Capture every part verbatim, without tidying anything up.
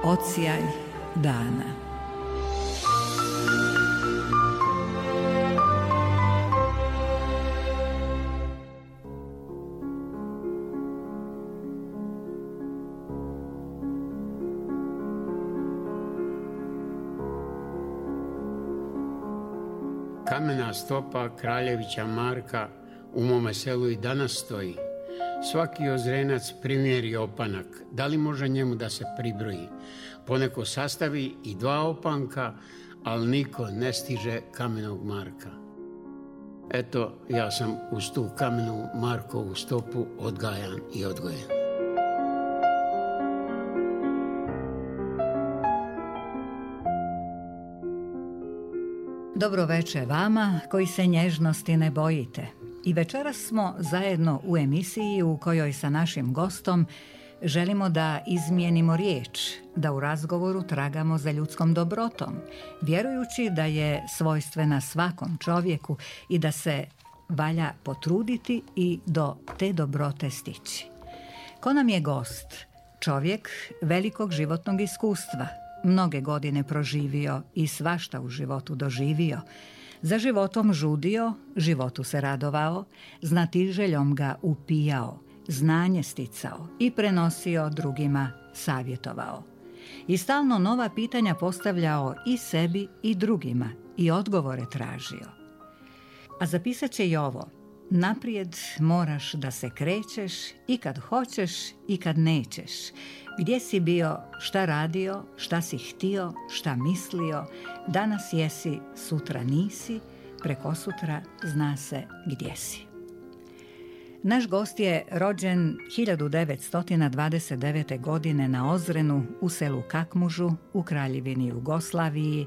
Odsjaj dana. Kamena stopa kraljevića Marka u mome selu i danas stoji. Svaki ozrenac primjeri opanak. Da li može njemu da se pribroji? Poneko sastavi i dva opanka, ali niko ne stiže kamenog Marka. Eto, ja sam uz tu kamenu Markovu stopu odgajan i odgojen. Dobro veče vama koji se nježnosti ne bojite. I večeras smo zajedno u emisiji u kojoj sa našim gostom želimo da izmijenimo riječ, da u razgovoru tragamo za ljudskom dobrotom, vjerujući da je svojstvena svakom čovjeku i da se valja potruditi i do te dobrote stići. Ko nam je gost? Čovjek velikog životnog iskustva, mnoge godine proživio i svašta u životu doživio. Za životom žudio, životu se radovao, znatiželjom ga upijao, znanje sticao i prenosio drugima savjetovao. I stalno nova pitanja postavljao i sebi i drugima i odgovore tražio. A zapisat će i ovo: naprijed moraš da se krećeš i kad hoćeš i kad nećeš. Gdje si bio, šta radio, šta si htio, šta mislio, danas jesi, sutra nisi, preko sutra zna se gdje si. Naš gost je rođen hiljadu devetsto dvadeset devete. godine na Ozrenu u selu Kakmužu u Kraljevini Jugoslaviji,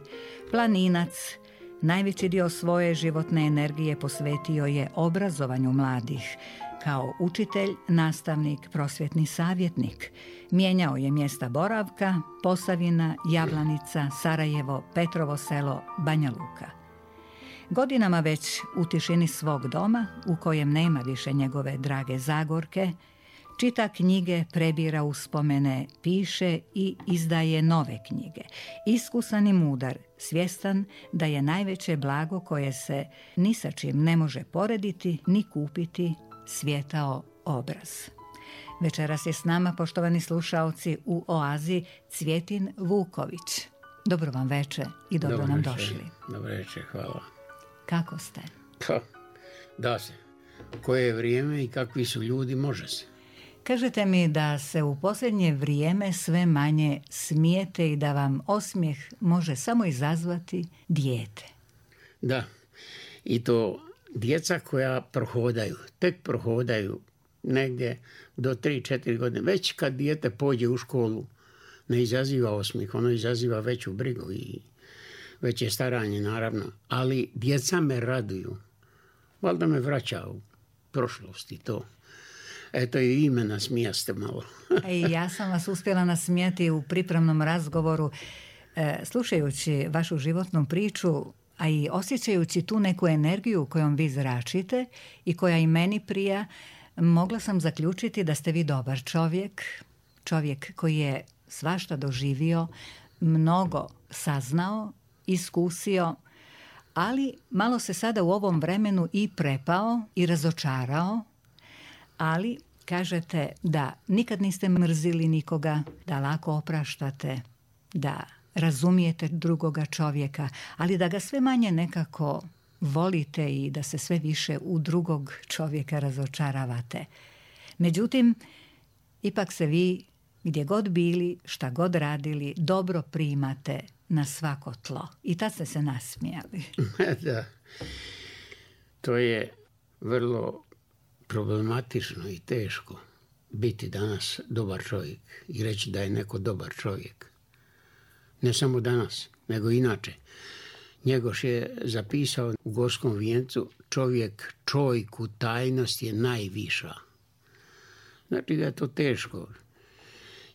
planinac. Najveći dio svoje životne energije posvetio je obrazovanju mladih. Kao učitelj, nastavnik, prosvjetni savjetnik. Mijenjao je mjesta boravka: Posavina, Javlanica, Sarajevo, Petrovo Selo, Banja Luka. Godinama već u tišini svog doma, u kojem nema više njegove drage Zagorke, čita knjige, prebira uspomene, piše i izdaje nove knjige. Iskusan i mudar, svjestan da je najveće blago koje se ni sa čim ne može porediti ni kupiti svijetao obraz. Večeras je s nama, poštovani slušaoci, u Oazi Cvjetin Vuković. Dobro vam veče i dobro, dobro nam veče. Došli. Dobro veče, hvala. Kako ste? Pa, da se. Koje je vrijeme i kakvi su ljudi, može se. Kažete mi da se u posljednje vrijeme sve manje smijete i da vam osmijeh može samo izazvati dijete. Da, i to djeca koja prohodaju, tek prohodaju negdje do tri četiri godine. Već kad dijete pođe u školu, ne izaziva osmijeh, ono izaziva veću brigu i veće staranje, naravno. Ali djeca me raduju. Valjda me vraća u prošlost i to. Eto i ime nasmijaste malo. I ja sam vas uspjela nasmijati u pripremnom razgovoru, e, slušajući vašu životnu priču, a i osjećajući tu neku energiju kojom vi zračite i koja i meni prija. Mogla sam zaključiti da ste vi dobar čovjek, čovjek koji je svašta doživio, mnogo saznao, iskusio, ali malo se sada u ovom vremenu i prepao i razočarao, ali kažete da nikad niste mrzili nikoga, da lako opraštate, da razumijete drugoga čovjeka, ali da ga sve manje nekako volite i da se sve više u drugog čovjeka razočaravate. Međutim, ipak se vi, gdje god bili, šta god radili, dobro primate na svako tlo. I tad ste se nasmijali. Da, to je vrlo problematično i teško biti danas dobar čovjek i reći da je neko dobar čovjek. Ne samo danas, nego inače. Njegoš je zapisao u Gorskom vijencu: čovjek čojku tajnost je najviša. Znači da je to teško.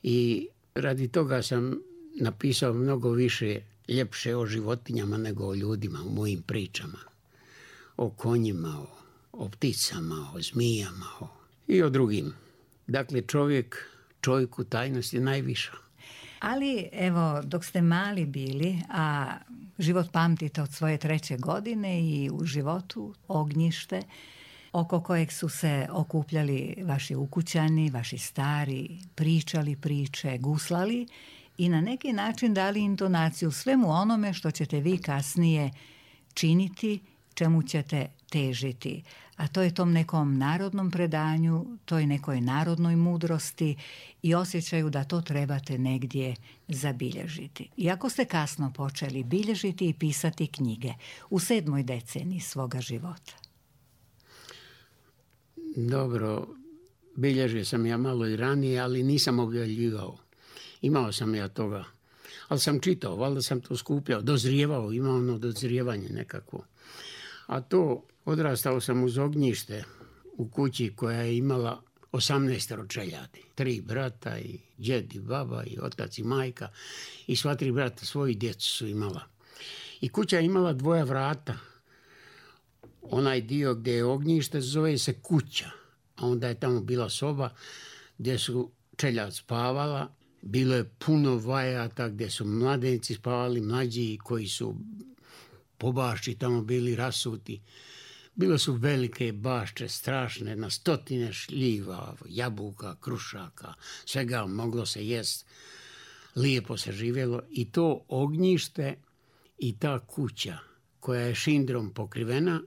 I radi toga sam napisao mnogo više ljepše o životinjama nego o ljudima u mojim pričama. O konjima, o, o pticama, o zmijama o, i o drugim. Dakle, čovjek čojku tajnost je najviša. Ali, evo, dok ste mali bili, a život pamtite od svoje treće godine i u životu ognjište, oko kojeg su se okupljali vaši ukućani, vaši stari, pričali priče, guslali i na neki način dali intonaciju svemu onome što ćete vi kasnije činiti, čemu ćete težiti. A to je tom nekom narodnom predanju, toj nekoj narodnoj mudrosti i osjećaju da to trebate negdje zabilježiti. Iako ste kasno počeli bilježiti i pisati knjige u sedmoj deceniji svoga života. Dobro, bilježio sam ja malo i ranije, ali nisam objavljivao. Imao sam ja toga, ali sam čitao, valjda sam to skupljao, dozrijevao, imao ono dozrijevanje nekako. A to odrastao sam uz ognjište u kući koja je imala osamnaestero čeljadi. Tri brata i djed i baba i otac i majka i sva tri brata svoji djecu su imala. I kuća je imala dvoja vrata. Onaj dio gdje je ognjište zove se kuća, a onda je tamo bila soba gdje su čeljad spavala. Bilo je puno vajata gdje su mladenci spavali, mlađi koji su po bašči tamo bili rasuti. Bilo su velike bašče, strašne, na stotine šljiva, jabuka, krušaka, svega moglo se jest. Lijepo se živjelo i to ognjište i ta kuća koja je šindrom pokrivena,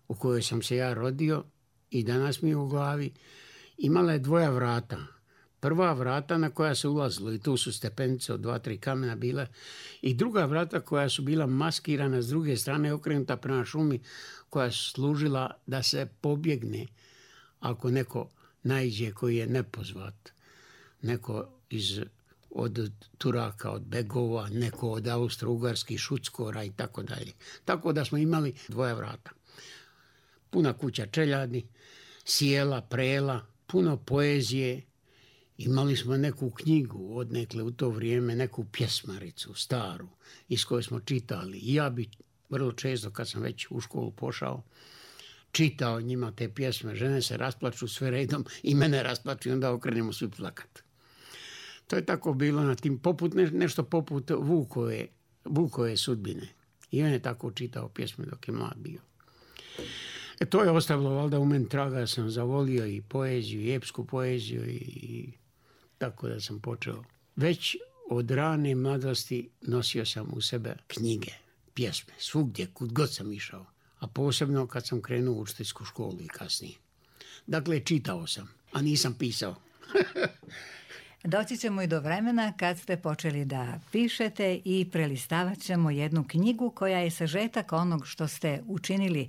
u kojoj sam se ja rodio i danas mi je u glavi, imala je dvoja vrata. Prva vrata na koja se ulazilo i tu su stepenice od dva, tri kamena bile i druga vrata koja su bila maskirana s druge strane okrenuta prema šumi koja su služila da se pobjegne ako neko naiđe koji je nepozvat. Neko iz, od Turaka, od Begova, neko od Austro-Ugarskih šuckora i tako dalje. Tako da smo imali dvoja vrata. Puna kuća čeljadi, sjela, prela, puno poezije. Imali smo neku knjigu odnekle u to vrijeme, neku pjesmaricu staru iz koje smo čitali. I ja bi vrlo često kad sam već u školu pošao čitao njima te pjesme. Žene se rasplaču sve redom i mene rasplaču i onda okrenemo svi plakat. To je tako bilo na tim poput, nešto poput Vukove, Vukove sudbine. I on je tako čitao pjesme dok je mlad bio. E, to je ostavilo valjda u meni traga, sam zavolio i poeziju, i epsku poeziju i tako da sam počeo. Već od rane mladosti nosio sam u sebe knjige, pjesme, svugdje, kud god sam išao, a posebno kad sam krenuo u učiteljsku školu i kasnije. Dakle, čitao sam, a nisam pisao. Doći ćemo i do vremena kad ste počeli da pišete i prelistavat ćemo jednu knjigu koja je sažetak onog što ste učinili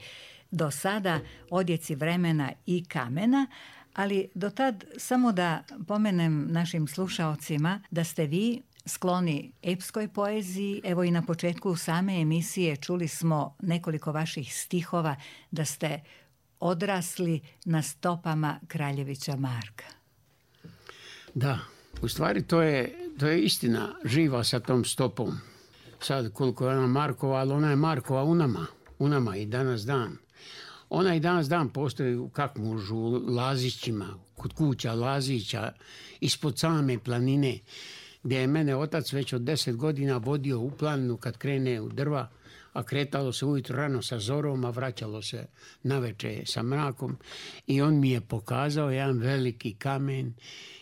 do sada, Odjeci vremena i kamena, ali do tad samo da pomenem našim slušaocima da ste vi skloni epskoj poeziji. Evo i na početku same emisije čuli smo nekoliko vaših stihova da ste odrasli na stopama Kraljevića Marka. Da, u stvari to je, to je istina živa sa tom stopom. Sad koliko je ona Markova, ali ona je Markova u nama, u nama i danas dan. Ona i danas dan postoji u Kakmužu, u Lazićima, kod kuća Lazića, ispod same planine, gdje je mene otac već od deset godina vodio u planinu kad krene u drva, a kretalo se ujutro rano sa zorom, a vraćalo se naveče sa mrakom. I on mi je pokazao jedan veliki kamen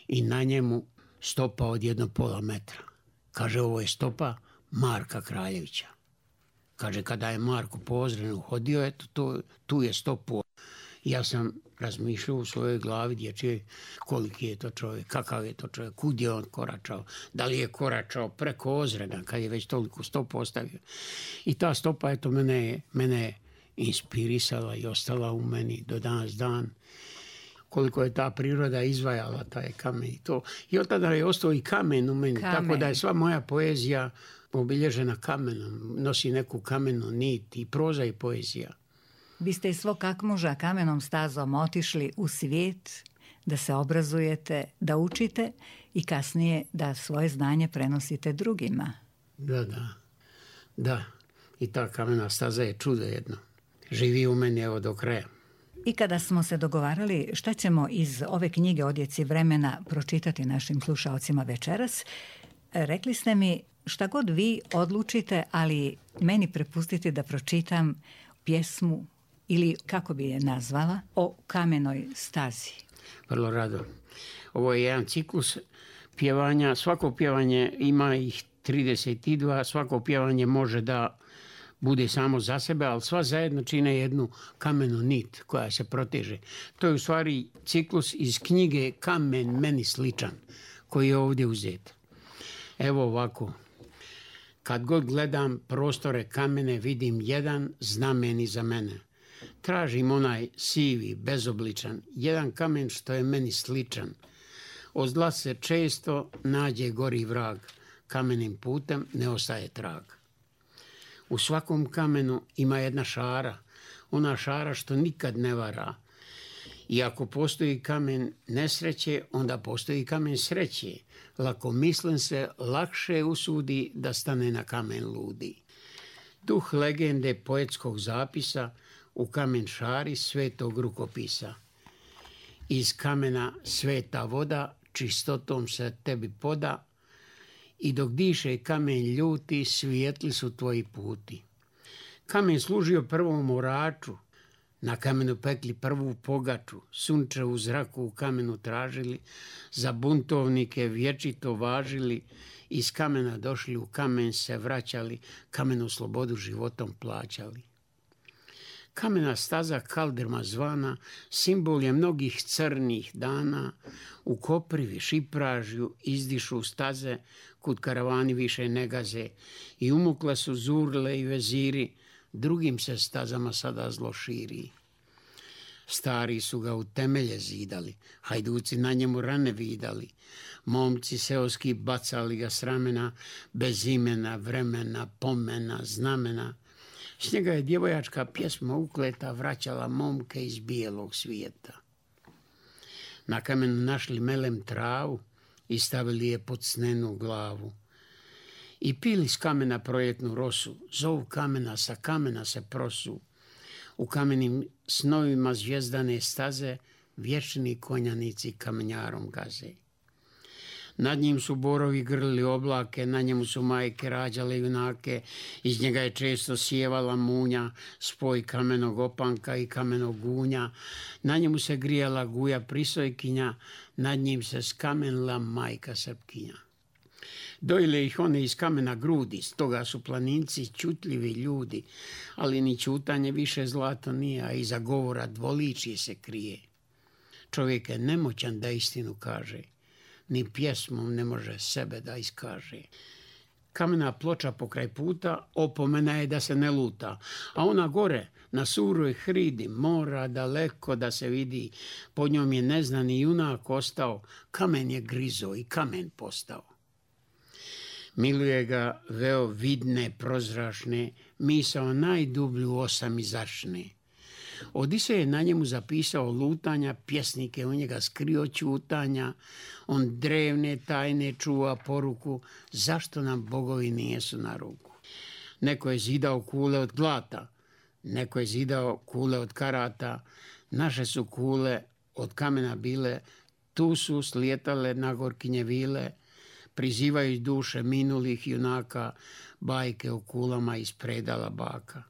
i na njemu stopa od jedno pola metra. Kaže, ovo je stopa Marka Kraljevića. Kaže, kada je Marko po Ozrenu hodio, eto, to, tu je stopu. Ja sam razmišljao u svojoj glavi dječje koliki je to čovjek, kakav je to čovjek, kud je on koračao, da li je koračao preko Ozrena kad je već toliko stopu ostavio. I ta stopa, eto, mene je, mene je inspirisala i ostala u meni do danas dan. Koliko je ta priroda izvajala taj kamen i to. I od tada je ostao i kamen u meni, kamen. Tako da je sva moja poezija obilježena kamenom, nosi neku kamenu nit i proza i poezija. Vi ste iz svog Kakmuža kamenom stazom otišli u svijet da se obrazujete, da učite i kasnije da svoje znanje prenosite drugima. Da, da, da. I ta kamena staza je čudo jedno. Živi u meni evo do kraja. I kada smo se dogovarali šta ćemo iz ove knjige Odjeci vremena pročitati našim slušaocima večeras, Rekli ste mi šta god vi odlučite, ali meni prepustite da pročitam pjesmu ili kako bi je nazvala, o kamenoj stazi. Vrlo rado. Ovo je jedan ciklus pjevanja. Svako pjevanje ima ih trideset dva, svako pjevanje može da bude samo za sebe, ali sva zajedno čine jednu kamenu nit koja se proteže. To je u stvari ciklus iz knjige Kamen meni sličan, koji je ovdje uzet. Evo ovako. Kad god gledam prostore kamene, vidim jedan znamen iza mene. Tražim onaj sivi, bezobličan, jedan kamen što je meni sličan. Od zla se često nađe gori vrag, kamenim putem ne ostaje trag. U svakom kamenu ima jedna šara, ona šara što nikad ne vara. I ako postoji kamen nesreće, onda postoji kamen sreće. Lako mislim se lakše usudi da stane na kamen ludi. Duh legende poetskog zapisa u kamen šari svetog rukopisa. Iz kamena sveta voda čistotom se tebi poda i dok diše kamen ljuti, svijetli su tvoji puti. Kamen služio prvom oraču, na kamenu pekli prvu pogaču, sunče u zraku u kamenu tražili, za buntovnike vječito važili, iz kamena došli u kamen se vraćali, kamenu slobodu životom plaćali. Kamena staza kalderma zvana simbol je mnogih crnih dana, u Koprivi, Šipražju izdišu staze, kud karavani više ne gaze, i umukle su zurle i veziri, drugim se stazama sada zlo širi. Stari su ga u temelje zidali, hajduci na njemu rane vidali, momci seoski bacali ga s ramena, bez imena, vremena, pomena, znamena. S njega je djevojačka pjesma ukleta vraćala momke iz bijelog svijeta. Na kamenu našli melem travu i stavili je pod snenu glavu. I pili s kamena proljetnu rosu, zovu kamena, sa kamena se prosu. U kamenim snovima zvijezdane staze vječni konjanici kamenjarom gaze. Nad njim su borovi grlili oblake, na njemu su majke rađale junake, iz njega je često sjevala munja, spoj kamenog opanka i kamenog gunja. Na njemu se grijala guja prisojkinja, nad njim se skamenila majka srpkinja. Dojile ih one iz kamena grudi, stoga su planinci čutljivi ljudi, ali ni čutanje više zlato nije, a iza govora dvoličje se krije. Čovjek je nemoćan da istinu kaže, ni pjesmom ne može sebe da iskaže. Kamena ploča pokraj puta opomena je da se ne luta, a ona gore na suroj hridi mora daleko da se vidi, pod njom je neznani junak ostao, kamen je grizo i kamen postao. Miluje ga veo vidne, prozračne, misao najdublju osam izašne. Odisej je na njemu zapisao lutanja, pjesnike u njega skrio čutanja, on drevne tajne čuva poruku, zašto nam bogovi nijesu na ruku. Neko je zidao kule od glata, neko je zidao kule od karata, naše su kule od kamena bile, tu su slijetale na gorkinje vile, prizivaju duše minulih junaka, bajke o kulama iz predala baka.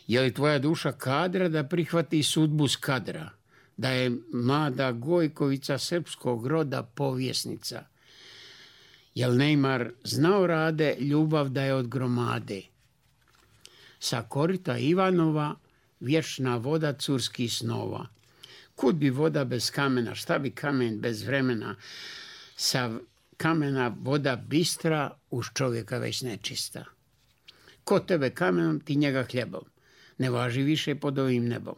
Je li tvoja duša kadra da prihvati sudbu Skadra, da je mlada Gojkovica srpskog roda povjesnica? Jel Neymar znao rade ljubav da je od gromade? Sa korita Ivanova vječna voda curskih snova. Kud bi voda bez kamena, šta bi kamen bez vremena? Sa kamena voda bistra, uz čovjeka već nečista. Ko tebe kamenom, ti njega hljebom. Ne važi više pod ovim nebom.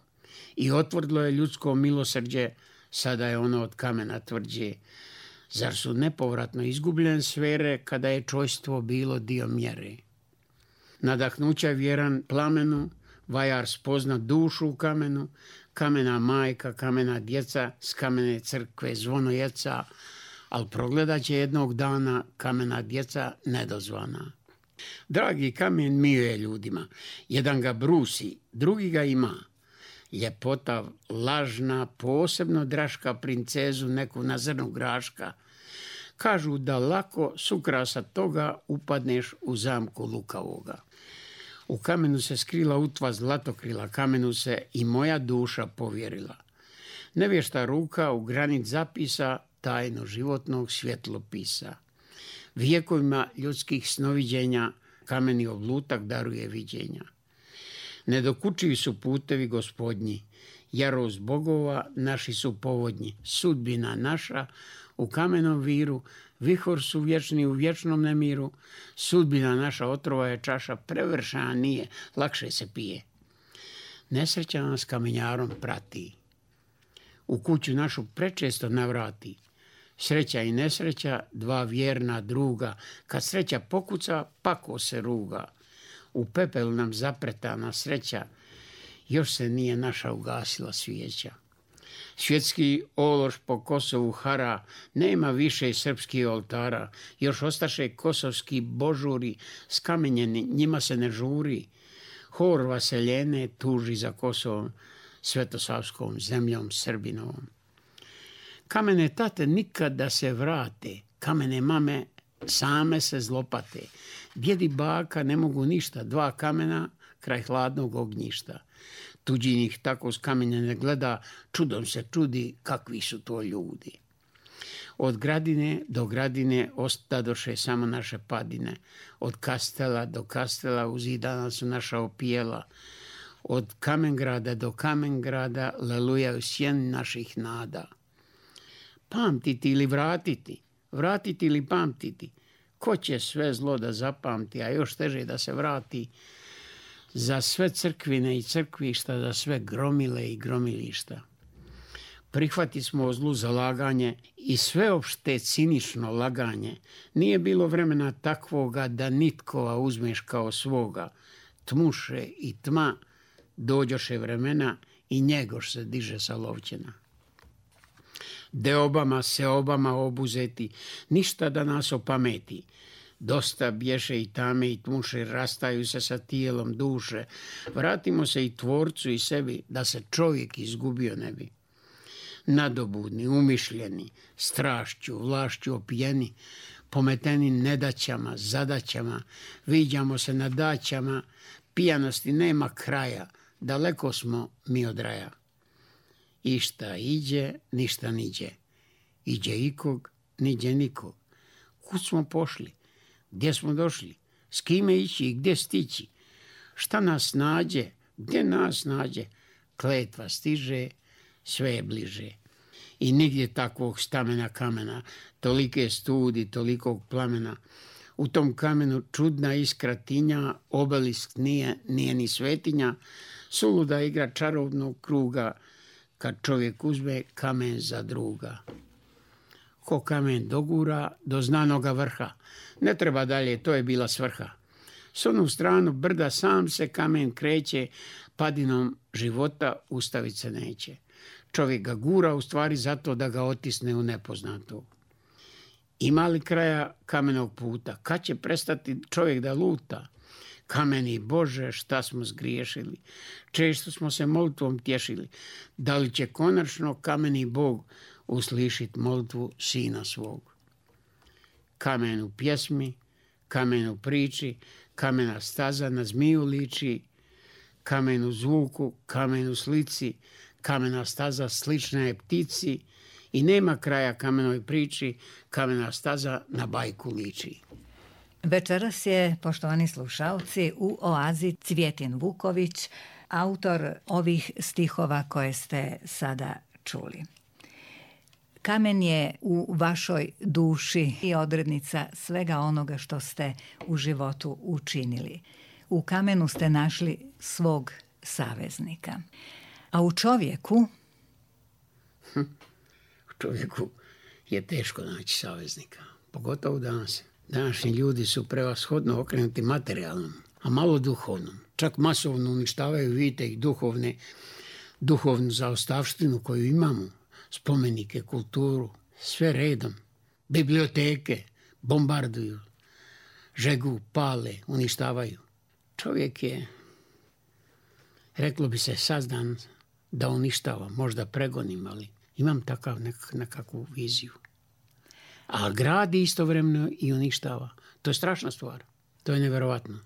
I otvrdlo je ljudsko milosrđe, sada je ono od kamena tvrđe. Zar su nepovratno izgubljene sfere, kada je čojstvo bilo dio mjere? Nadahnuća vjeran plamenu, vajar spozna dušu u kamenu, kamena majka, kamena djeca, s kamene crkve zvono jeca, ali progledat će jednog dana kamena djeca nedozvana. Dragi kamen miluje ljudima, jedan ga brusi, drugi ga ima. Ljepota lažna, posebno draška princezu neku na zrnu graška. Kažu da lako s ukrasa toga upadneš u zamku lukavoga. U kamenu se skrila utva zlatokrila, kamenu se i moja duša povjerila. Nevješta ruka u granit zapisa tajno životnog svjetlopisa. Vijekovima ljudskih snoviđenja kameni oblutak daruje viđenja. Nedokučivi su putevi gospodnji, jarost bogova naši su povodnji. Sudbina naša u kamenom viru, vihor su vječni u vječnom nemiru. Sudbina naša otrova je čaša, prevršana nije, lakše se pije. Nesreća nas kamenjarom prati, u kuću našu prečesto navrati. Sreća i nesreća, dva vjerna druga, kad sreća pokuca, pako se ruga. U pepelu nam zapretana sreća, još se nije naša ugasila svijeća. Svjetski ološ po Kosovu hara, nema više srpskih oltara, još ostaše kosovski božuri, skamenjeni, njima se ne žuri. Hor vaseljene tuži za Kosovom, svetosavskom zemljom Srbinovom. Kamene tate nikad da se vrate, kamene mame same se zlopate. Djed i baka ne mogu ništa, dva kamena kraj hladnog ognjišta. Tuđi njih tako s kamenja ne gleda, čudom se čudi kakvi su to ljudi. Od gradine do gradine ostadoše samo naše padine. Od kastela do kastela uzidana su naša opijela. Od Kamengrada do Kamengrada lelujaju sjeni naših nada. Pamtiti ili vratiti, vratiti ili pamtiti, ko će sve zlo da zapamti, a još teže da se vrati, za sve crkvine i crkvišta, za sve gromile i gromilišta. Prihvati smo o zlu zalaganje i sveopšte cinično laganje. Nije bilo vremena takvoga da nitkova uzmeš kao svoga. Tmuše i tma, dođoše vremena i njegoš se diže sa lovćena. Deobama, seobama obuzeti, ništa da nas opameti. Dosta bješe i tame i tmuše, rastaju se sa tijelom duše. Vratimo se i tvorcu i sebi, da se čovjek izgubio ne bi. Nadobudni, umišljeni, strašću, vlašću opijeni, pometeni nedaćama, zadaćama, viđamo se na daćama, pijanosti nema kraja, daleko smo mi od raja. Išta iđe, ništa niđe. Iđe ikog, niđe nikog. Kud smo pošli? Gdje smo došli? S kime ići i gdje stići? Šta nas nađe? Gdje nas nađe? Kletva stiže, sve je bliže. I nigdje takvog stamena kamena, tolike studi, tolikog plamena. U tom kamenu čudna iskra tinja, obelisk nije, nije ni svetinja, suluda igra čarobnog kruga, kad čovjek uzme kamen za druga. Ko kamen dogura do znanoga vrha, ne treba dalje, to je bila svrha. S onu stranu brda sam se kamen kreće, padinom života ustavit se neće. Čovjek ga gura u stvari zato da ga otisne u nepoznato. Ima li kraja kamenog puta? Kad će prestati čovjek da luta? Kameni Bože, šta smo zgriješili? Često smo se molitvom tješili. Da li će konačno kameni Bog uslišit molitvu sina svog? Kamen u pjesmi, kamen u priči, kamena staza na zmiju liči, kamen u zvuku, kamen u slici, kamena staza slična je ptici i nema kraja kamenoj priči, kamena staza na bajku liči. Večeras je, poštovani slušalci, u Oazi Cvjetin Vuković, autor ovih stihova koje ste sada čuli. Kamen je u vašoj duši i odrednica svega onoga što ste u životu učinili. U kamenu ste našli svog saveznika. A u čovjeku? Hm, u čovjeku je teško naći saveznika, pogotovo danas. Današnji ljudi su prevashodno okrenuti materijalnom, a malo duhovnom. Čak masovno uništavaju, vidite, ih duhovne, duhovnu zaostavštinu koju imamo, spomenike, kulturu, sve redom. Biblioteke bombarduju, žegu, pale, uništavaju. Čovjek je, reklo bi se, sazdan da uništava, možda pregonim, ali imam takav nek- nekakvu viziju. A gradi istovremeno i uništava. To je strašna stvar. To je nevjerovatno.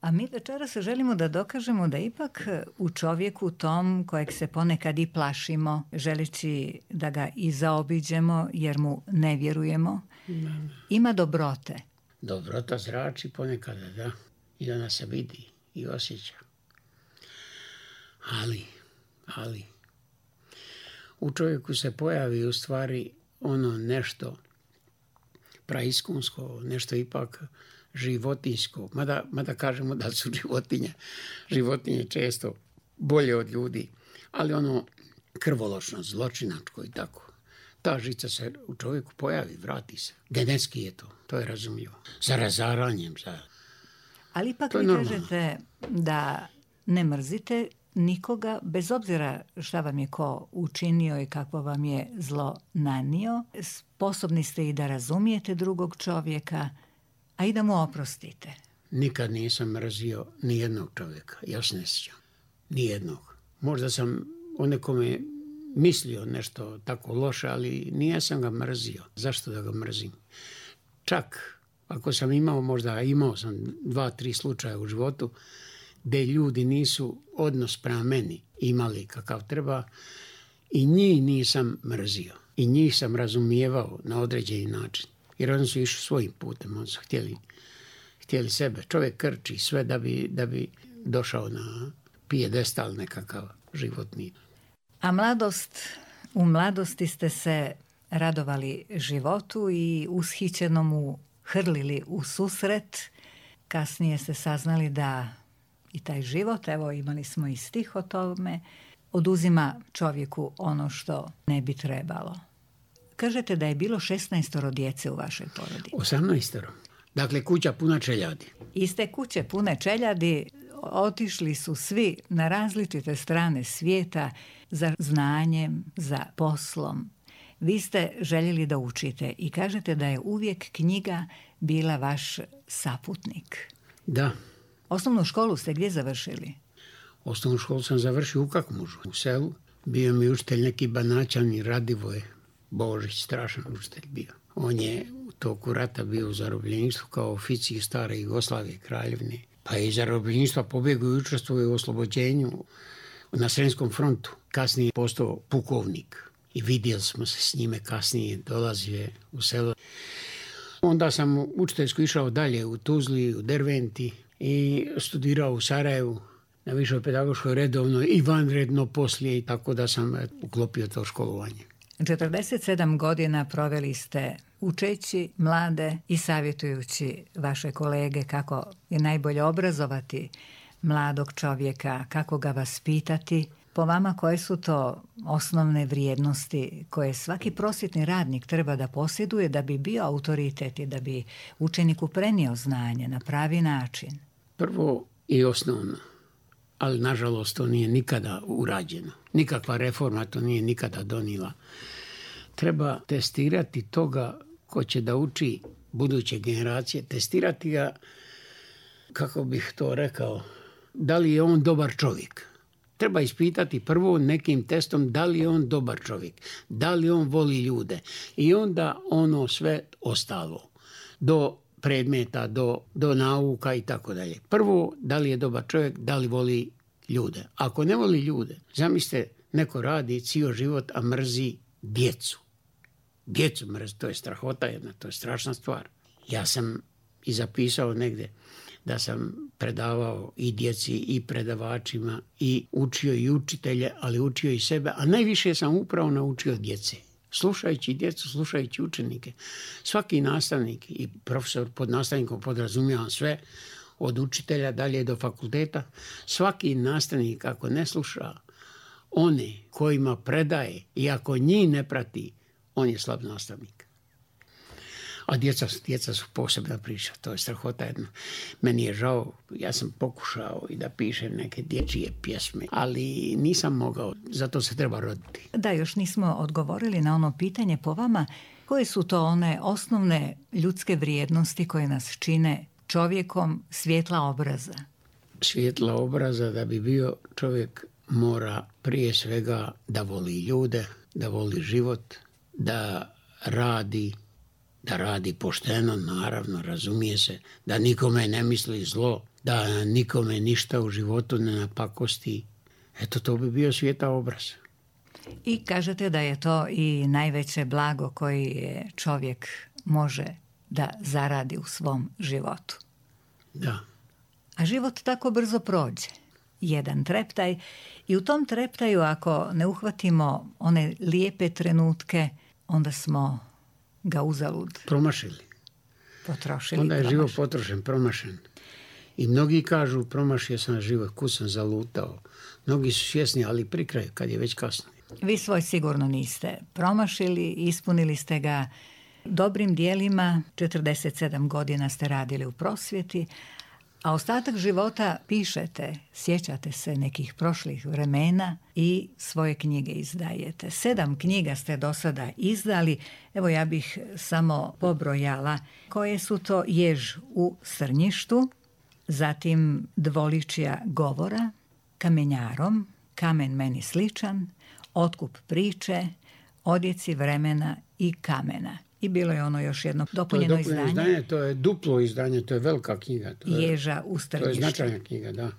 A mi večeras želimo da dokažemo da ipak u čovjeku tom kojeg se ponekad i plašimo, želeći da ga i zaobiđemo jer mu ne vjerujemo, ima dobrote. Dobrota zrači ponekada, da. I da nas se vidi i osjeća. Ali, ali, u čovjeku se pojavi u stvari ono nešto praiskunsko, nešto ipak životinjsko. Mada, mada kažemo da su životinje, životinje često bolje od ljudi, ali ono krvoločno, zločinačko i tako. Ta žica se u čovjeku pojavi, vrati se. Genetski je to, to je razumljivo. Za razaranjem, za... Ali ipak vi kažete da ne mrzite nikoga, bez obzira šta vam je ko učinio i kako vam je zlo nanio. Sposobni ste i da razumijete drugog čovjeka, a i da mu oprostite. Nikad nisam mrzio ni jednog čovjeka, ja se ne sjećam. Ni jednog. Možda sam o nekome mislio nešto tako loše, ali nije sam ga mrzio. Zašto da ga mrzim? Čak ako sam imao, možda imao sam dva, tri slučaja u životu gdje ljudi nisu odnos prema meni imali kakav treba i njih nisam mrzio. I njih sam razumijevao na određeni način. Jer oni su išli svojim putem, oni su htjeli, htjeli sebe. Čovjek krči sve da bi, da bi došao na pijedestal nekakav životni. A mladost, u mladosti ste se radovali životu i ushićeno mu hrlili u susret. Kasnije ste saznali da i taj život, evo imali smo i stih o tome, oduzima čovjeku ono što ne bi trebalo. Kažete da je bilo šesnaestoro djece u vašoj porodi. osamnaestoro. Dakle, kuća puna čeljadi. Iz te kuće pune čeljadi otišli su svi na različite strane svijeta za znanjem, za poslom. Vi ste željeli da učite i kažete da je uvijek knjiga bila vaš saputnik. Da. Osnovnu školu ste gdje završili? Osnovnu školu sam završio u Kakmužu, u selu. Bio mi učitelj neki Banaćani, Radivoje Božić, strašan učitelj bio. On je u toku rata bio u zarobljeništvu kao oficir stare Jugoslavije, Kraljevine. Pa je iz zarobljeništva pobjegao i učestvovao u oslobođenju na Sremskom frontu. Kasnije je postao pukovnik i vidjeli smo se s njime kasnije, dolazio je u selo. Onda sam učiteljsko išao dalje u Tuzli, u Derventi i studirao u Sarajevu na višoj pedagoškoj redovno i vanredno poslije, i tako da sam uklopio to školovanje. četrdeset sedam godina proveli ste učeći mlade i savjetujući vaše kolege kako je najbolje obrazovati mladog čovjeka, kako ga vaspitati. Po vama, koje su to osnovne vrijednosti koje svaki prosvjetni radnik treba da posjeduje da bi bio autoritet i da bi učeniku prenio znanje na pravi način? Prvo i osnovno, ali nažalost to nije nikada urađeno. Nikakva reforma to nije nikada donijela. Treba testirati toga ko će da uči buduće generacije, testirati ga, kako bih to rekao, da li je on dobar čovjek. Treba ispitati prvo nekim testom da li je on dobar čovjek, da li on voli ljude i onda ono sve ostalo, do predmeta, do, do nauka i tako dalje. Prvo, da li je dobar čovjek, da li voli ljude. Ako ne voli ljude, zamislite, neko radi cijel život, a mrzi djecu. Djecu mrzi, to je strahota jedna, to je strašna stvar. Ja sam i zapisao negdje da sam predavao i djeci i predavačima i učio i učitelje, ali učio i sebe, a najviše sam upravo naučio djece. Slušajući djecu, slušajući učenike. Svaki nastavnik i profesor pod nastavnikom podrazumijevam sve, od učitelja dalje do fakulteta. Svaki nastavnik ako ne sluša one kojima predaje i ako njih ne prati, on je slab nastavnik. A djeca, djeca su posebna priča, to je strahota jedna. Meni je žao, ja sam pokušao i da pišem neke dječje pjesme, ali nisam mogao, zato se treba roditi. Da, još nismo odgovorili na ono pitanje po vama, koje su to one osnovne ljudske vrijednosti koje nas čine čovjekom svjetla obraza? Svjetla obraza, da bi bio čovjek, mora prije svega da voli ljude, da voli život, da radi da radi pošteno, naravno, razumije se, da nikome ne misli zlo, da nikome ništa u životu ne napakosti. Eto, to bi bio svijeta obraz. I kažete da je to i najveće blago koji čovjek može da zaradi u svom životu. Da. A život tako brzo prođe. Jedan treptaj i u tom treptaju ako ne uhvatimo one lijepe trenutke, onda smo ga uzalud promašili. Potrošili. Onda je promašili. život potrošen, promašen. I mnogi kažu promašio sam život, kud sam zalutao. Mnogi su svjesni, ali pri kraju, kad je već kasno. Vi svoj sigurno niste promašili, ispunili ste ga dobrim dijelima, četrdeset sedam godina ste radili u prosvjeti, a ostatak života pišete, sjećate se nekih prošlih vremena i svoje knjige izdajete. Sedam knjiga ste do sada izdali, evo ja bih samo pobrojala koje su to: Jež u Srnjištu, zatim Dvoličja govora, Kamenjarom, Kamen meni sličan, Otkup priče, Odjeci vremena i kamena. I bilo je ono još jedno dopunjeno, to je dopunjeno izdanje. izdanje. To je duplo izdanje, to je velika knjiga. To je, Ježa u Strnjištu. To je značajna knjiga, da.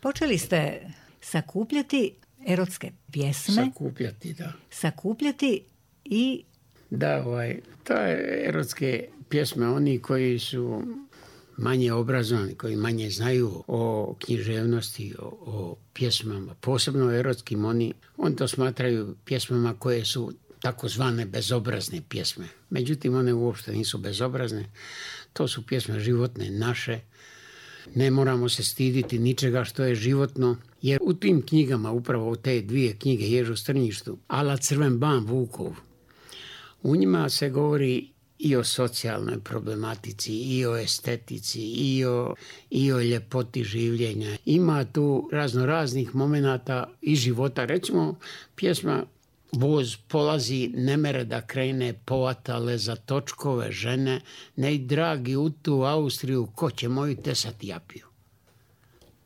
Počeli ste sakupljati erotske pjesme. Sakupljati, da. Sakupljati i... Da, ovaj, to je erotske pjesme, oni koji su manje obrazovani, koji manje znaju o književnosti, o, o pjesmama, posebno erotskim, oni, oni to smatraju pjesmama koje su takozvane bezobrazne pjesme. Međutim, one uopšte nisu bezobrazne. To su pjesme životne, naše. Ne moramo se stiditi ničega što je životno, jer u tim knjigama, upravo u te dvije knjige, Jež u Strnjištu, Ala Crven ban Vukov, u njima se govori i o socijalnoj problematici, i o estetici, i o, i o ljepoti življenja. Ima tu razno raznih momenata iz života. Recimo, pjesma Voz polazi, ne mere da krene, povatale za točkove žene, nej dragi u tu Austriju, ko će moju tesati japiju.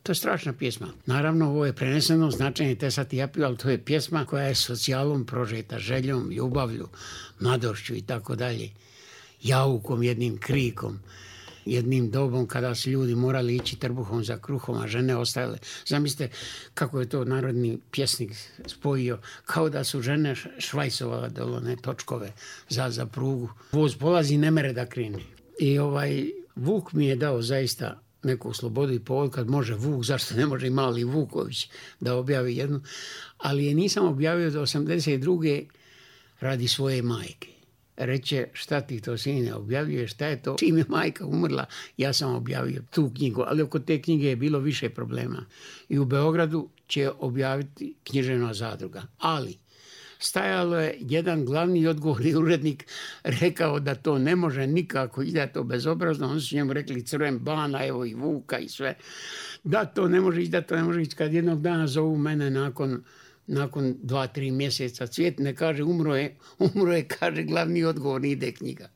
To je strašna pjesma. Naravno, ovo je preneseno značenje tesati japiju, ali to je pjesma koja je socijalom prožeta, željom, ljubavlju, mladošću i tako dalje. Jaukom, jednim krikom, jednim dobom kada su ljudi morali ići trbuhom za kruhom, a žene ostajale. Zamislite kako je to narodni pjesnik spojio, kao da su žene švajsovale dolone točkove za, za prugu. Voz polazi, ne mere da krene. I ovaj Vuk mi je dao zaista neku slobodu i povod kad može Vuk, zašto ne može i mali Vuković da objavi jednu, ali je nisam objavio do osamdeset druge radi svoje majke. Reče, šta ti to sine objavljuješ, šta je to? Čim je majka umrla, ja sam objavio tu knjigu, ali oko te knjige je bilo više problema. I u Beogradu će objaviti književna zadruga. Ali stajalo je jedan glavni odgovorni urednik rekao da to ne može nikako i da je to bezobrazno. Oni su njemu rekli Crven bana, evo i Vuka i sve. Da to ne može ići, da to ne može ići. Kad jednog dana zovu mene nakon nakon dva, tri mjeseca, Cvjet ne kaže umro je, umro je, kaže glavni odgovorni, ide knjiga.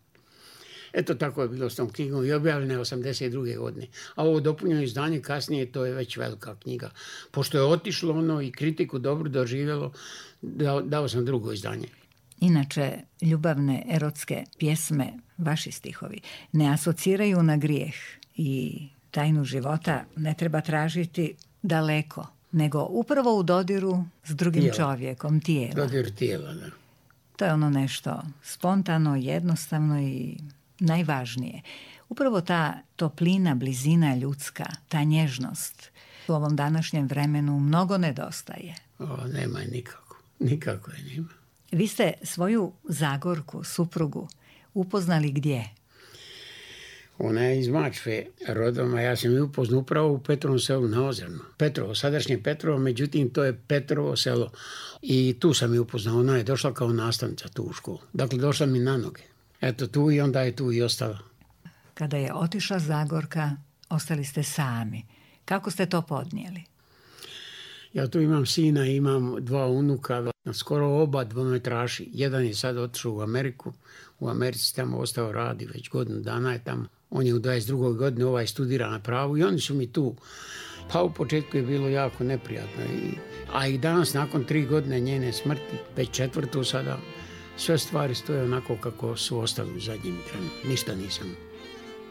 Eto tako je bilo s tom knjigom i objavljena je osamdeset druge godine. A ovo dopunjeno izdanje kasnije, to je već velika knjiga. Pošto je otišlo ono i kritiku dobro doživjelo, dao, dao sam drugo izdanje. Inače, ljubavne erotske pjesme, vaši stihovi, ne asociraju na grijeh i tajnu života ne treba tražiti daleko, nego upravo u dodiru s drugim tijela. čovjekom, tijela. Dodir tijela, da. To je ono nešto spontano, jednostavno i najvažnije. Upravo ta toplina, blizina ljudska, ta nježnost u ovom današnjem vremenu mnogo nedostaje. O, nema je nikako. Nikako je nema. Vi ste svoju Zagorku, suprugu, upoznali gdje? Ona je iz Mačve rodom, a ja sam ju upoznao upravo u Petrovom selu na Ozernu. Petrovo, sadašnje Petrovo, međutim to je Petrovo selo. I tu sam ju upoznao, ona je došla kao nastavnica tu u školu. Dakle, došla mi na noge. Eto tu i onda je tu i ostala. Kada je otišla Zagorka, ostali ste sami. Kako ste to podnijeli? Ja tu imam sina, imam dva unuka, skoro oba dvometraši. Jedan je sad otišao u Ameriku, u Americi tamo ostao radi, već godinu dana je tamo. On je u dvadeset drugoj godini, ovaj studira na pravu i oni su mi tu. Pa u početku je bilo jako neprijatno. I, a i danas, nakon tri godine njene smrti, već četvrtu sada, sve stvari stoje onako kako su ostali u zadnjem trenu. Ništa nisam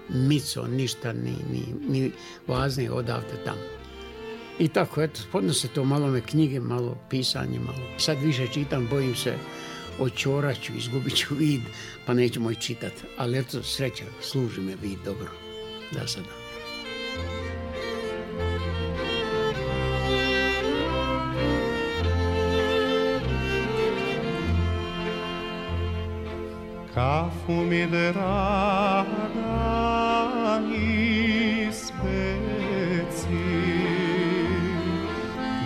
mico, ništa, ni, ni, ni važnije odavde tamo. I tako, eto, podnose to malo me knjige, malo pisanje, malo. Sad više čitam, bojim se, očorat ću, izgubit ću vid, pa neću moj čitat. Ali eto, sreća, služi me vid dobro, da sada. Kafu mi draga ispeci,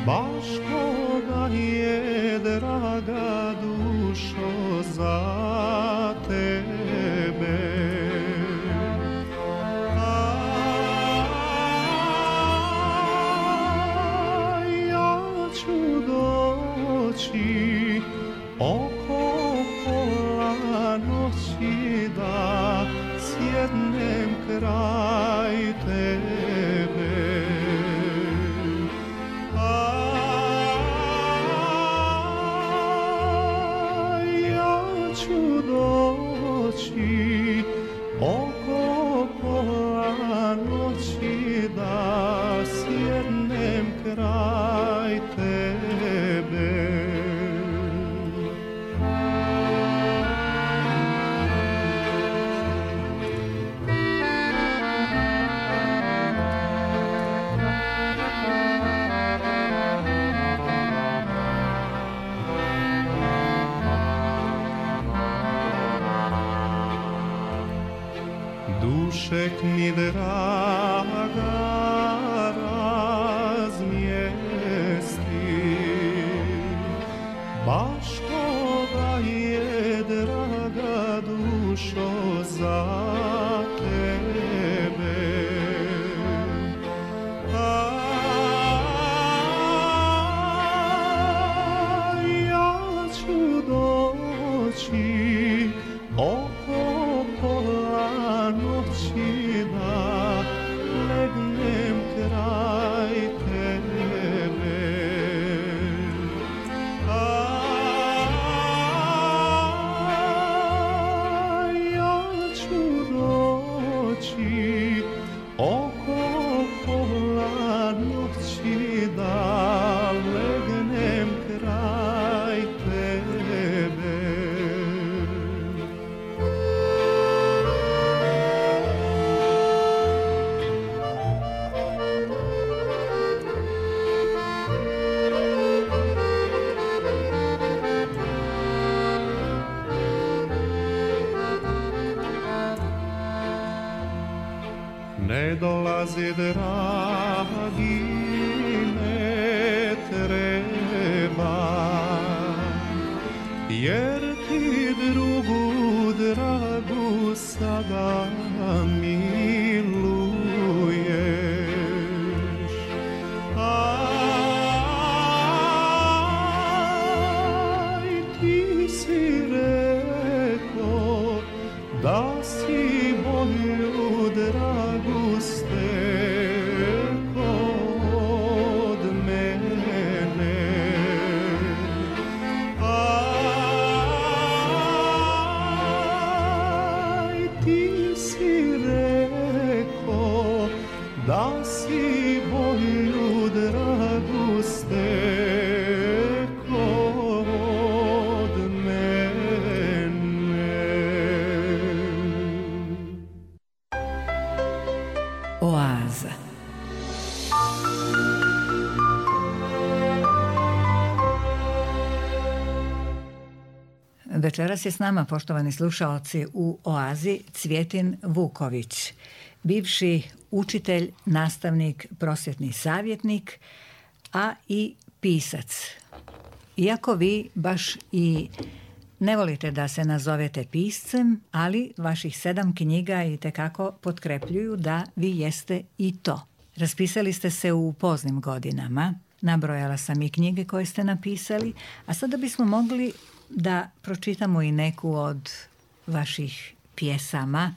baš koga je draga dušo za tebe. A ja ću doći oko pola noći da sjednem kraj tebe. A ja ću doći oko pola noći da sjednem kraj tebe. Dušek mi draga razmjesti, baš koga je draga dušo za tebe. A ja ću doći oko pola noći da legnem kraj tebe. A ja ću doći oko pola noći da legnem kraj tebe. Ne dolazi dragi, ne treba, jer ti drugu dragu sada miluješ. Aj, ti si rekao da si moju dragu steko od mene. Aj, ti si rekao da si moju dragu steko od mene. Oaza. Večeras je s nama, poštovani slušaoci, u Oazi Cvjetin Vuković, bivši učitelj, nastavnik, prosvjetni savjetnik, a i pisac. Iako vi baš i ne volite da se nazovete piscem, ali vaših sedam knjiga itekako potkrepljuju da vi jeste i to. Raspisali ste se u poznim godinama, nabrojala sam i knjige koje ste napisali, a sada bismo mogli da pročitamo i neku od vaših pjesama.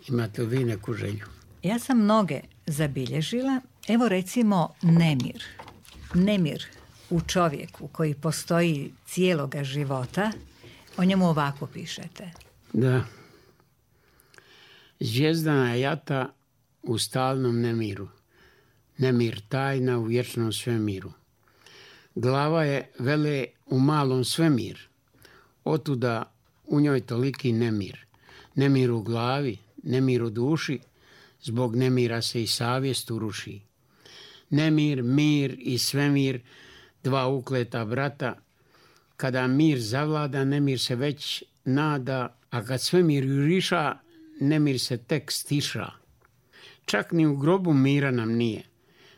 Imate li vi neku želju? Ja sam mnoge zabilježila. Evo recimo nemir. Nemir u čovjeku koji postoji cijeloga života O njemu ovako pišete. Da. Zvijezdana jata u stalnom nemiru. Nemir tajna u vječnom svemiru. Glava je vele u malom svemir. Otuda u njoj toliki nemir. Nemir u glavi, nemir u duši, zbog nemira se i savjest uruši. Nemir, mir i svemir, dva ukleta brata. Kada mir zavlada, nemir se već nada, a kad svemir juriša, nemir se tek stiša. Čak ni u grobu mira nam nije.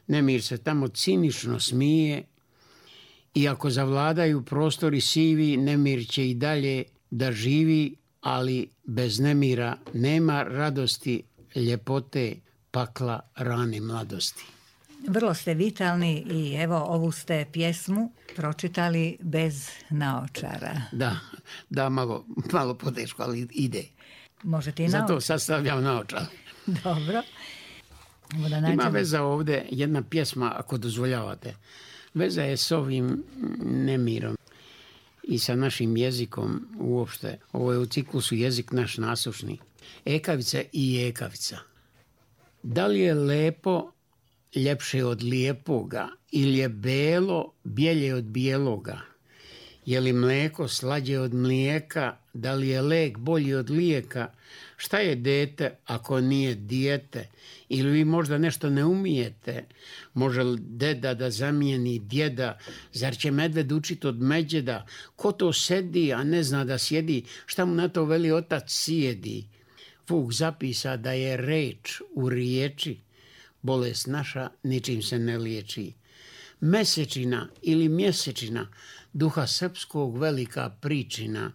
Nemir se tamo cinično smije. I ako zavladaju prostori sivi, nemir će i dalje da živi, ali bez nemira nema radosti, ljepote, pakla, rane mladosti. Vrlo ste vitalni i evo ovu ste pjesmu pročitali bez naočara. Da, da, malo, malo poteško, ali ide. Možete i Zato naočara. sad stavljam naočare. Dobro. Evo da nađemo. Ima veza ovdje jedna pjesma, ako dozvoljavate. Veza je s ovim nemirom i sa našim jezikom uopšte. Ovo je u ciklusu jezik naš nasušni. Ekavica i ekavica. Da li je lepo ljepše od lijepoga ili je belo bjelje od bijeloga? Je li mleko slađe od mlijeka? Da li je lek bolji od lijeka? Šta je dete ako nije dijete? Ili vi možda nešto ne umijete? Može li deda da zamijeni djeda? Zar će medved učit od međeda? Ko to sedi, a ne zna da sjedi? Šta mu na to veli otac sjedi? Vuk zapisa da je reč u riječi. Bolest naša ničim se ne liječi. Mesečina ili mjesečina, duha srpskog velika pričina.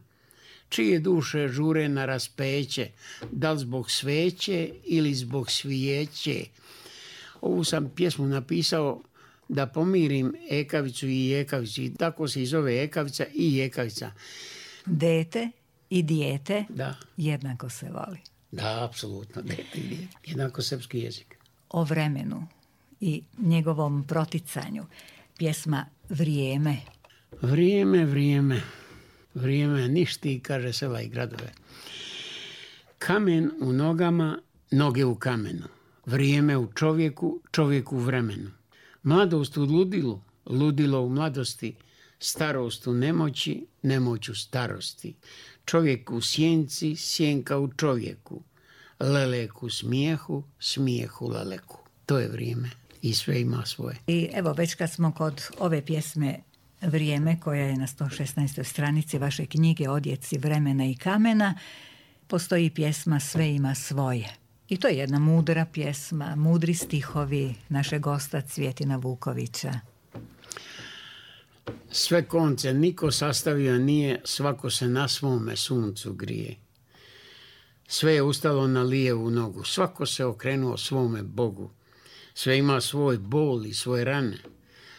Čije duše žure na raspeće, da li zbog sveće ili zbog svijeće. Ovu sam pjesmu napisao da pomirim ekavicu i ekavicu. I tako se i zove ekavica i ekavica. Dete i dijete Da, jednako se voli. da, apsolutno. Dete i dijete. Jednako srpski jezik. O vremenu i njegovom proticanju. Pjesma Vrijeme. Vrijeme, vrijeme. Vrijeme ništi, kaže sela i gradove. Kamen u nogama, noge u kamenu. Vrijeme u čovjeku, čovjek u vremenu. Mladost u ludilu, ludilo u mladosti. Starost u nemoći, nemoć u starosti. Čovjek u sjenci, sjenka u čovjeku. Lelek u smijehu, smijeh u leleku. To je vrijeme i sve ima svoje. I evo već kad smo kod ove pjesme Vrijeme, koja je na sto šesnaestoj stranici vaše knjige Odjeci vremena i kamena, postoji pjesma Sve ima svoje. I to je jedna mudra pjesma, mudri stihovi našeg gosta Cvjetina Vukovića. Sve konce niko sastavio nije, svako se na svome suncu grije. Sve je ustalo na lijevu nogu, svako se okrenuo svome Bogu. Sve ima svoj bol i svoje rane.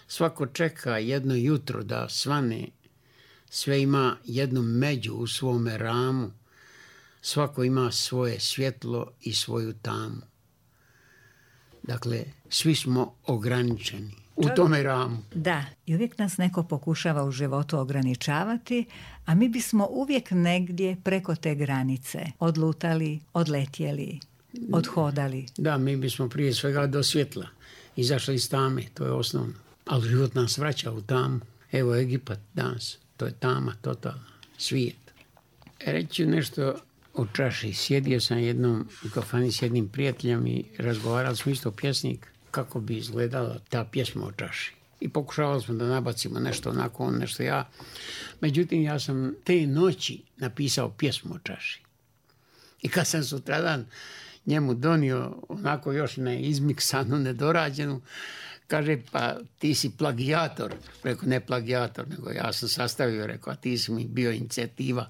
Svako čeka jedno jutro da svane. Sve ima jednu među u svome ramu. Svako ima svoje svjetlo i svoju tamu. Dakle, svi smo ograničeni u tome ramu. Da, i uvijek nas neko pokušava u životu ograničavati, a mi bismo uvijek negdje preko te granice odlutali, odletjeli, odhodali. Da, mi bismo prije svega do svjetla izašli iz tame, to je osnovno. Ali život nas vraća u tamu. Evo Egipat danas, to je tama, totalna, svijet. Reći nešto o čaši. Sjedio sam jednom u kafani s jednim prijateljem i razgovarali smo isto pjesnik kako bi izgledala ta pjesma o čaši. I pokušavali smo da nabacimo nešto onako, on nešto ja. Međutim, ja sam te noći napisao pjesmu o čaši. I kad sam sutradan njemu donio onako još ne izmiksanu, nedorađenu, kaže, pa ti si plagijator. Rekao, ne plagijator, nego ja sam sastavio, rekao, a ti si mi bio inicijativa,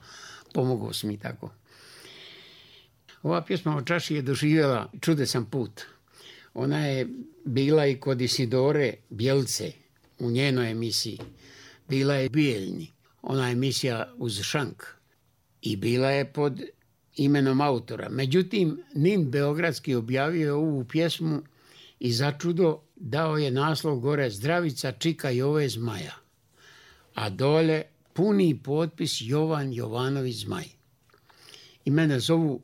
pomogao si mi tako. Ova pjesma o čaši je doživjela čudesan put. Ona je bila i kod Isidore Bjelce u njenoj emisiji. Bila je Bijeljni, ona emisija uz šank. I bila je pod imenom autora. Međutim, Nin Beogradski objavio je ovu pjesmu i začudo dao je naslov gore Zdravica, čika i ove zmaja. A dole puni potpis Jovan Jovanović Zmaj. I mene zovu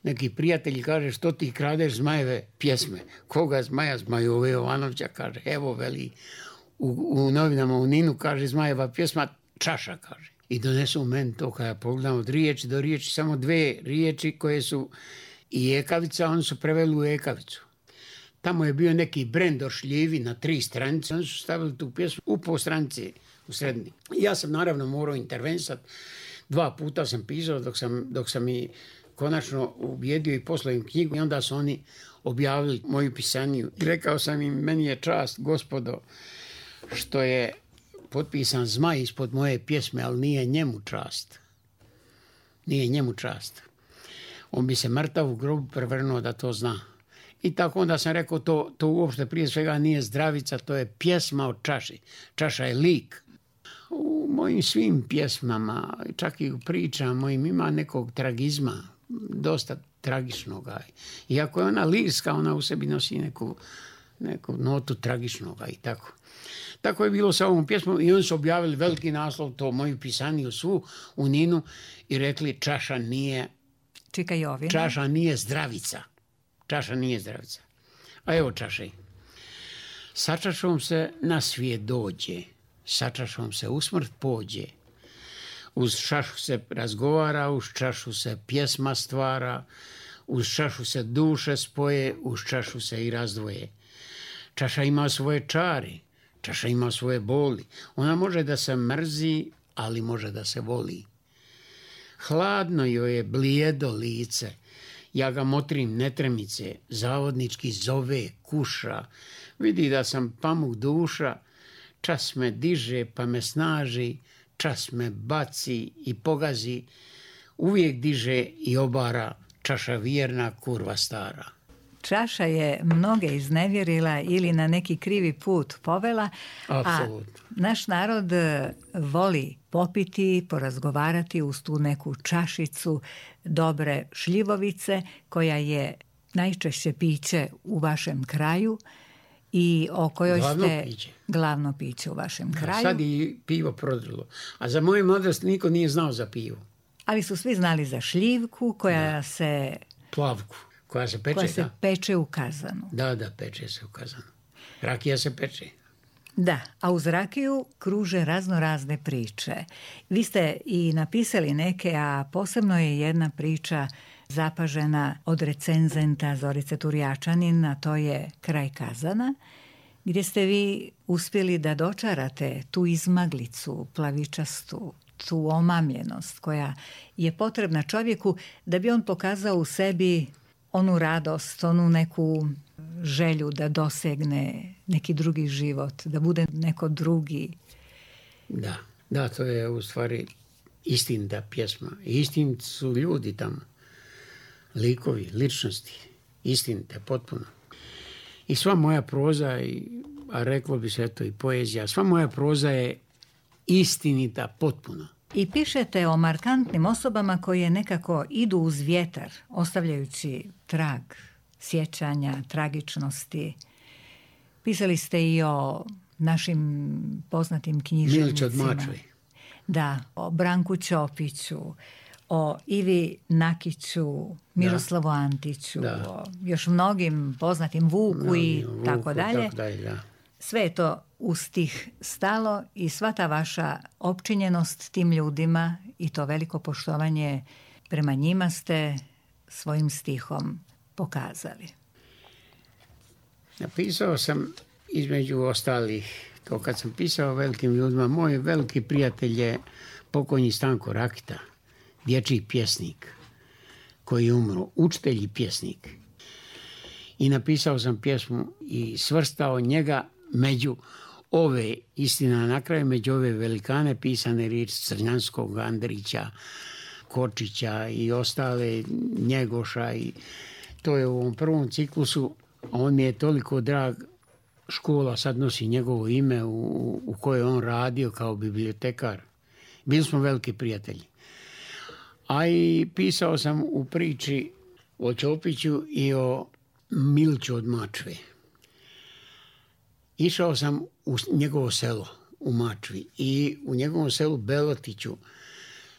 neki prijatelji, kaže, što ti kradeš Zmajeve pjesme? Koga Zmaja? Zmajove Jovanovića, kaže, evo, veli, u, u novinama u Ninu, kaže, Zmajeva pjesma, Čaša, kaže. I donesu meni to, kada ja pogledam od riječi do riječi, samo dve riječi koje su i ekavica, oni su preveli u ekavicu. Tamo je bio neki brend ošljivi na tri stranice, oni su stavili tu pjesmu u po stranici u srednji. Ja sam naravno morao intervenisati, dva puta sam pisao dok sam, dok sam i konačno ubijedio i poslao im knjigu i onda su oni objavili moju pisaniju. I rekao sam im, meni je čast, gospodo, što je potpisan Zmaj ispod moje pjesme, ali nije njemu čast. Nije njemu čast. On bi se mrtav u grobu prevrnuo da to zna. I tako onda sam rekao, to, to uopšte prije svega nije zdravica, to je pjesma o čaši. Čaša je lik. U mojim svim pjesmama, čak i u pričama mojim, ima nekog tragizma, dosta tragičnoga. Iako je ona lirska, ona u sebi nosi neku, neku notu tragičnoga i tako. Tako je bilo sa ovom pjesmom i oni su objavili veliki naslov, to moju pisaniju svu u Ninu i rekli, čaša nije, Čika Jovina. Čaša nije zdravica. Čaša nije zdravica. A evo čaše. Sa čašom se na svijet dođe, sa čašom se u smrt pođe. Uz čašu se razgovara, uz čašu se pjesma stvara, uz čašu se duše spoje, uz čašu se i razdvoje. Čaša ima svoje čari, čaša ima svoje boli. Ona može da se mrzi, ali može da se voli. Hladno joj je blijedo lice, ja ga motrim netremice, zavodnički zove, kuša, vidi da sam pamuk duša, čas me diže pa me snaži, čas me baci i pogazi, uvijek diže i obara, čaša vjerna, kurva stara. Čaša je mnoge iznevjerila ili na neki krivi put povela, Apsolutno. A naš narod voli popiti, porazgovarati uz tu neku čašicu dobre šljivovice, koja je najčešće piće u vašem kraju i o kojoj glavno ste piće. Glavno piće u vašem Da, kraju. sad i pivo prodrilo. A za moju mladost niko nije znao za pivo. Ali su svi znali za šljivku koja Da. se Plavku, koja se peče, koja se da. peče u kazanu. Da, da, peče se u kazanu. Rakija se peče. Da, a uz rakiju kruže razno razne priče. Vi ste i napisali neke, a posebno je jedna priča zapažena od recenzenta Zorice Turjačanin, a to je Kraj kazana, gdje ste vi uspjeli da dočarate tu izmaglicu plavičastu, tu omamljenost koja je potrebna čovjeku da bi on pokazao u sebi onu radost, onu neku želju da dosegne neki drugi život, da bude neko drugi. Da, da, to je u stvari istinita pjesma. Istiniti su ljudi tamo, likovi, ličnosti, istinite, potpuno. I sva moja proza, a reklo bi se eto i poezija, sva moja proza je istinita, potpuno. I pišete o markantnim osobama koje nekako idu uz vjetar, ostavljajući trag sjećanja, tragičnosti. Pisali ste i o našim poznatim književnicima. Milić od Mačve. Da, o Branku Ćopiću, o Ivi Nakiću, Miroslavu da. Antiću, da. o još mnogim poznatim Vuku no, i Vuku, tako dalje. Tako dalje da. Sve je to u stih stalo i sva ta vaša opčinjenost tim ljudima i to veliko poštovanje prema njima ste svojim stihom pokazali. Napisao sam između ostalih, to kad sam pisao o velikim ljudima, moj veliki prijatelj je pokojni Stanko Rakita, dječji pjesnik koji je umro, učitelj i pjesnik. I napisao sam pjesmu i svrstao njega među ove, istina na kraju, među ove velikane pisane riječi Crnjanskog, Andrića, Kočića i ostale, Njegoša. I to je u ovom prvom ciklusu. On mi je toliko drag, škola sad nosi njegovo ime u, u kojoj on radio kao bibliotekar. Bili smo veliki prijatelji. A i pisao sam u priči o Ćopiću i o Miliću od Mačve. Išao sam u njegovo selo, u Mačvi i u njegovom selu Belotiću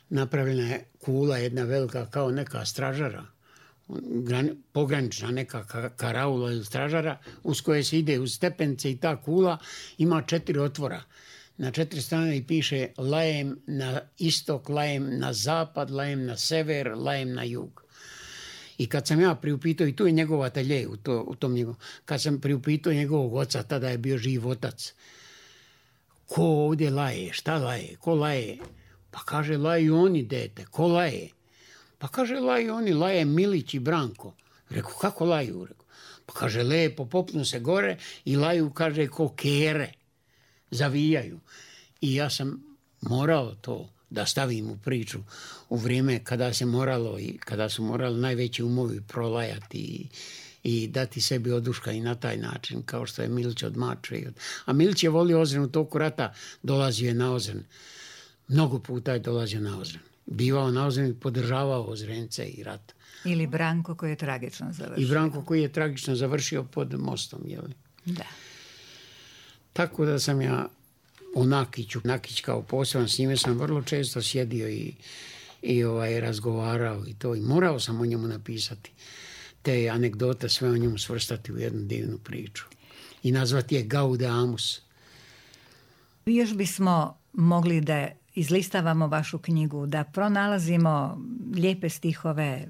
napravljena je kula jedna velika kao neka stražara, pogranična neka karaula ili stražara uz koje se ide uz stepence i ta kula ima četiri otvora. Na četiri strane i piše lajem na istok, lajem na zapad, lajem na sever, lajem na jug. I kad sam ja priupitao, i tu je njegov atelje u, to, u tom njegovom, kad sam priupitao njegovog oca, tada je bio živ otac, ko ovdje laje, šta laje, ko laje? Pa kaže, laju oni, dete, ko laje? Pa kaže, laju oni, laje Milić i Branko. Reku, kako laju? Reku, pa kaže, lepo, popnu se gore i laju, kaže, ko kere, zavijaju. I ja sam morao to da stavim u priču u vrijeme kada se moralo i kada su morali najveći umovi prolajati i, i dati sebi oduška i na taj način, kao što je Milić od Mačve. A Milić je volio Ozren u toku rata, dolazio je na Ozren. Mnogo puta je dolazio na Ozren. Bivao na Ozren i podržavao Ozrence i rat. Ili Branko koji je tragično završio. I Branko koji je tragično završio pod mostom, jeli? Da. Tako da sam ja u Nakiću, Nakić kao poseban, s njime sam vrlo često sjedio i, i ovaj, razgovarao i to. I morao sam o njemu napisati te anegdote, sve o njemu svrstati u jednu divnu priču. I nazvati je Gaudeamus. Još bismo mogli da izlistavamo vašu knjigu, da pronalazimo lijepe stihove,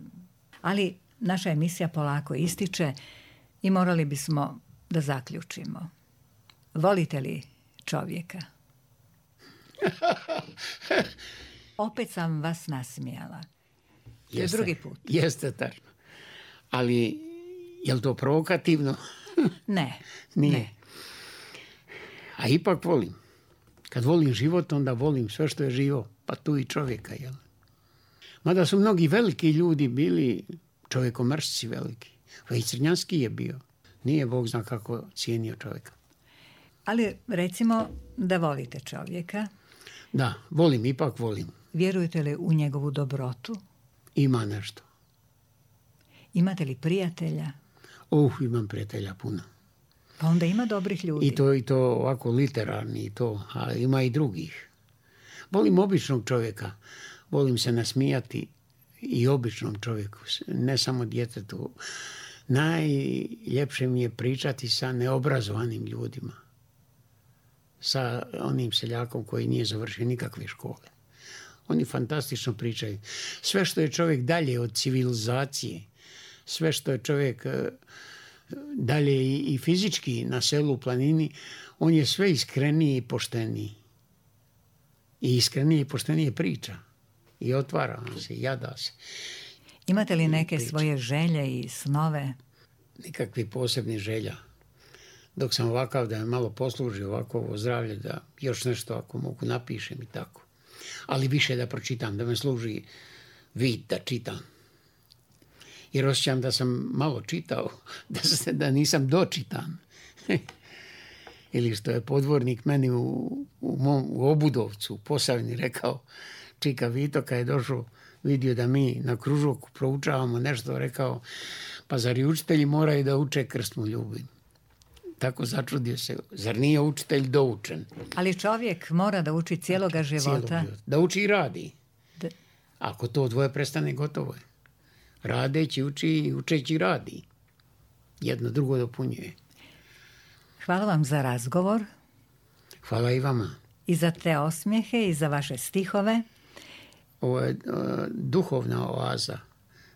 ali naša emisija polako ističe i morali bismo da zaključimo. Volite li čovjeka? Opet sam vas nasmijala. To je drugi put. Jeste tačno. Ali je li to provokativno? Ne. Nije. Ne. A ipak volim. Kad volim život, onda volim sve što je živo, pa tu i čovjeka, jel? Mada su mnogi veliki ljudi bili čovjekomrsci veliki. I Crnjanski je bio. Nije Bog zna kako cijenio čovjeka. Ali recimo da volite čovjeka. Da, volim, ipak volim. Vjerujete li u njegovu dobrotu? Ima nešto. Imate li prijatelja? Uh, imam prijatelja puno. Pa onda ima dobrih ljudi. I to, i to ovako literarni, i to, a ima i drugih. Volim običnog čovjeka. Volim se nasmijati i običnom čovjeku, ne samo djetetu. Najljepše mi je pričati sa neobrazovanim ljudima. Sa onim seljakom koji nije završio nikakve škole. Oni fantastično pričaju. Sve što je čovjek dalje od civilizacije, sve što je čovjek dalje i fizički na selu, u planini, on je sve iskreniji i pošteniji. I iskrenije i poštenije priča. I otvara se, jada se. Imate li neke svoje želje i snove? Nikakvih posebnih želja. Dok sam ovakav da me malo posluži ovako ovo zdravlje, da još nešto ako mogu napišem i tako. Ali više da pročitam, da me služi vid da čitam. Jer osjećam da sam malo čitao, da, se, da nisam dočitan. Ili što je podvornik meni u, u, mom, u Obudovcu, u Posavini rekao, čika Vito kad je došao, vidio da mi na kružoku proučavamo nešto, rekao, pa zar i učitelji moraju da uče krstnu ljubav? Tako začudio se, zar nije učitelj doučen? Ali čovjek mora da uči cijeloga života. Cijelog života. Da uči i radi. Da. Ako to dvoje prestane, gotovo je. Radeći uči i učeći radi. Jedno drugo dopunjuje. Hvala vam za razgovor. Hvala i vama. I za te osmijehe i za vaše stihove. Ovo je uh, duhovna oaza.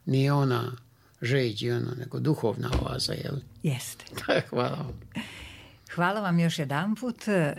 Nije ona žeć i ona, nego duhovna oaza, jel? Jeste. Hvala vam. Hvala vam još jedanput.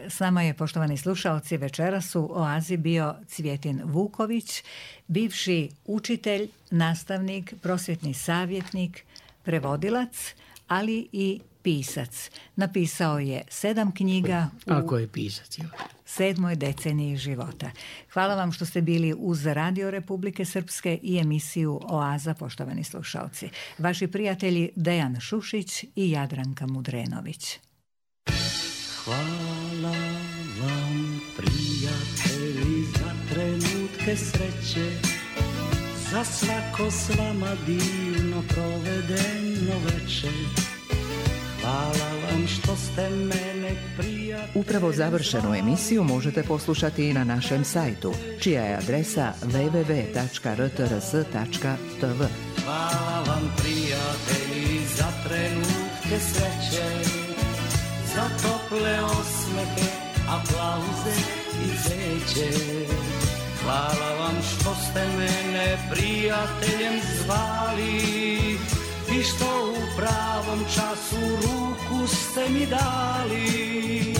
S nama je, poštovani slušaoci, večeras u oazi bio Cvjetin Vuković, bivši učitelj, nastavnik, prosvjetni savjetnik, prevodilac, ali i pisac. Napisao je sedam knjiga u Ako je pisac, jel? sedmoj deceniji života. Hvala vam što ste bili uz Radio Republike Srpske i emisiju Oaza, poštovani slušaoci. Vaši prijatelji Dejan Šušić i Jadranka Mudrenović. Hvala vam, prijatelji, za trenutke sreće, za svako s vama divno provedeno večer. Hvala vam što ste mene prijatelji. Upravo završenu emisiju možete poslušati i na našem sajtu, čija je adresa w w w tačka r t r s tačka t v. Hvala vam prijatelji za trenutke sreće, za tople osmehe, aplauze i cveće. Hvala vam što ste mene prijateljem zvali i što u pravom času ruku ste mi dali.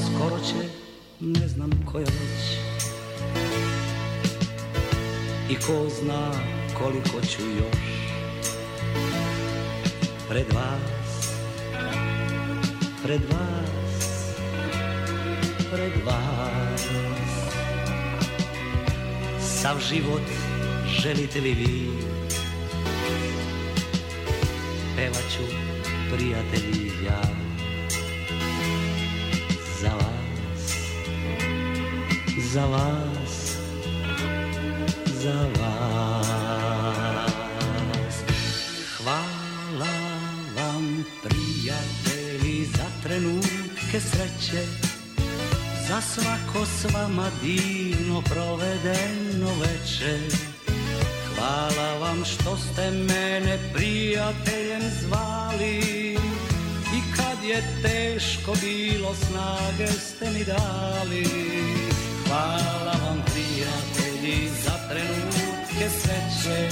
Skoro će, ne znam koja već, i ko zna koliko ću još pred vas, pred vas, pred vas. Sav život želite li vi, pevat ću prijatelji ja za vas, za vas, za vas. Hvala vam prijatelji za trenutke sreće, za svako s vama divno provedeno večer. Hvala vam što ste mene prijateljem zvali i kad je teško bilo snage ste mi dali. Hvala vam prijatelji za trenutke sreće,